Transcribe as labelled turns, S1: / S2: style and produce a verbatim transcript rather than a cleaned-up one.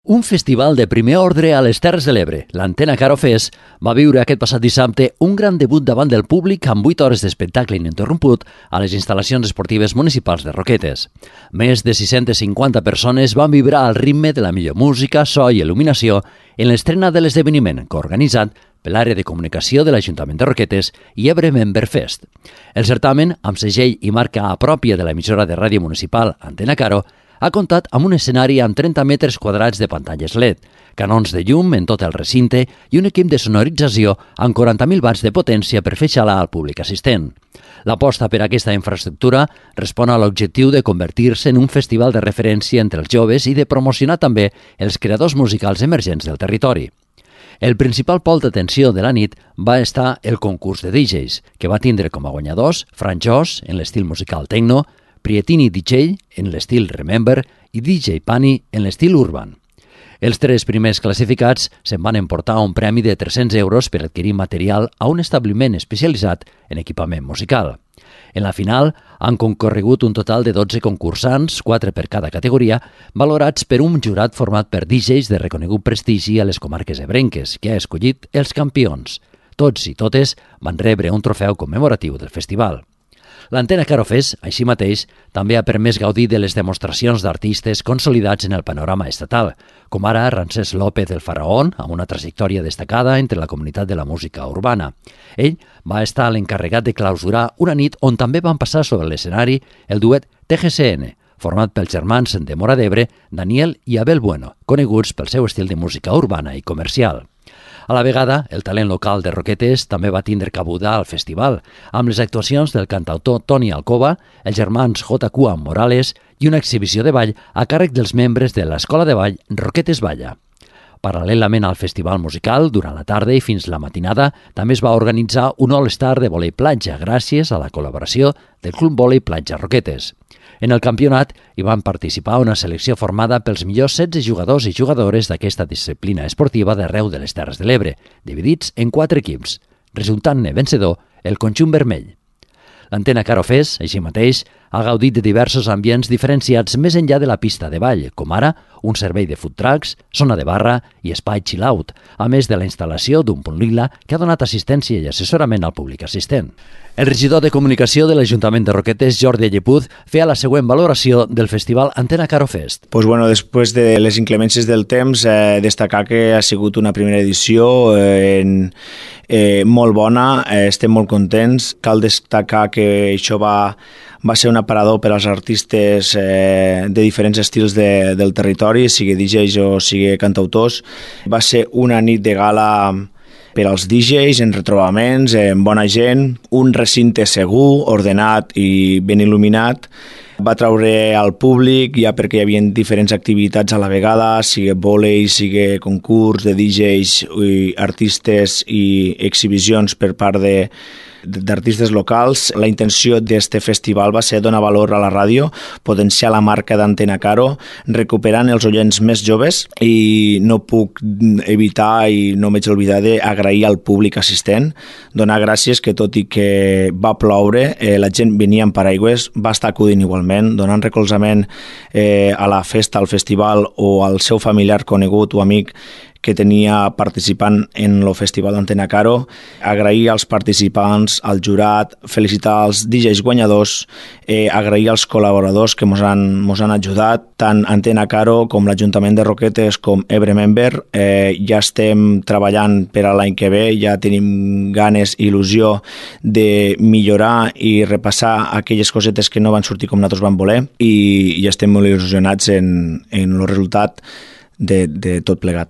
S1: Un festival de primer ordre a les Terres de l'Ebre, l'Antena Caro Fest, va viure aquest passat dissabte un gran debut davant del públic amb vuit hores d'espectacle ininterromput a les instal·lacions esportives municipals de Roquetes. Més de sis-centes cinquanta persones van vibrar al ritme de la millor música, so i il·luminació en l'estrena de l'esdeveniment coorganitzat per l'àrea de comunicació de l'Ajuntament de Roquetes i Ebre Member Fest. El certamen, amb segell i marca pròpia de l'emissora de ràdio municipal Antena Caro, ha comptat amb un escenari amb trenta metres quadrats de pantalles L E D, canons de llum en tot el recinte i un equip de sonorització amb quaranta mil watts de potència per fer xalar al públic assistent. L'aposta per aquesta infraestructura respon a l'objectiu de convertir-se en un festival de referència entre els joves i de promocionar també els creadors musicals emergents del territori. El principal pol d'atenció de la nit va estar el concurs de D Js, que va tindre com a guanyadors Fran Jos, en l'estil musical techno, Prietini D J, en l'estil Remember, i D J Pani, en l'estil Urban. Els tres primers classificats se'n van emportar un premi de tres-cents euros per adquirir material a un establiment especialitzat en equipament musical. En la final han concorregut un total de dotze concursants, quatre per cada categoria, valorats per un jurat format per D Js de reconegut prestigi a les comarques ebrenques, que ha escollit els campions. Tots i totes van rebre un trofeu commemoratiu del festival. L'Antena Caro Fest, així mateix, també ha permès gaudir de les demostracions d'artistes consolidats en el panorama estatal, com ara Ramsès López el Faraón, amb una trajectòria destacada entre la comunitat de la música urbana. Ell va estar l'encarregat de clausurar una nit on també van passar sobre l'escenari el duet T G C N, format pels germans de Móra d'Ebre, Daniel i Abel Bueno, coneguts pel seu estil de música urbana i comercial. A la vegada, el talent local de Roquetes també va tindre cabuda al festival, amb les actuacions del cantautor Toni Alcoba, els germans J Q Morales i una exhibició de ball a càrrec dels membres de l'Escola de Ball Roquetes Balla. Paral·lelament al festival musical, durant la tarda i fins la matinada, també es va organitzar un All-Star de vòlei platja gràcies a la col·laboració del Club Vòlei Platja Roquetes. En el campionat hi van participar una selecció formada pels millors setze jugadors i jugadores d'aquesta disciplina esportiva d'arreu de les Terres de l'Ebre, dividits en quatre equips, resultant-ne vencedor el conjunt vermell. L'Antena Caro Fest, així mateix, ha gaudit de diversos ambients diferenciats més enllà de la pista de ball, com ara un servei de food trucks, zona de barra i espai chill-out, a més de la instal·lació d'un punt lila que ha donat assistència i assessorament al públic assistent. El regidor de Comunicació de l'Ajuntament de Roquetes, Jordi Llepuz, feia la següent valoració del festival Antena Caro Fest.
S2: Pues bueno, després de les inclemències del temps, eh, destacar que ha sigut una primera edició eh, en, eh, molt bona, eh, estem molt contents. Cal destacar que això va, va ser un aparador per als artistes eh, de diferents estils de, del territori, sigui D Js o sigui cantautors. Va ser una nit de gala per als D Js, en retrobaments, en bona gent, un recinte segur, ordenat i ben il·luminat. Va traure al públic, ja perquè hi havia diferents activitats a la vegada, sigui vòlei, sigui concurs de D Js, i artistes i exhibicions per part de d'artistes locals. La intenció d'aquest festival va ser donar valor a la ràdio, potenciar la marca d'Antena Caro, recuperant els oients més joves, i no puc evitar i no m'haig d'oblidar d'agrair al públic assistent, donar gràcies que tot i que va ploure, eh, la gent venia amb paraigües, va estar acudint igualment, donant recolzament eh, a la festa, al festival o al seu familiar conegut o amic que tenia participant en el Festival d'Antena Caro, agrair als participants, al jurat, felicitar els D Js guanyadors, eh, agrair als col·laboradors que ens han, mos han ajudat, tant Antena Caro com l'Ajuntament de Roquetes com Ebre Member. Eh, ja estem treballant per a l'any que ve, ja tenim ganes i il·lusió de millorar i repassar aquelles cosetes que no van sortir com nosaltres vam voler, i, i estem molt il·lusionats en, en el resultat de, de tot plegat.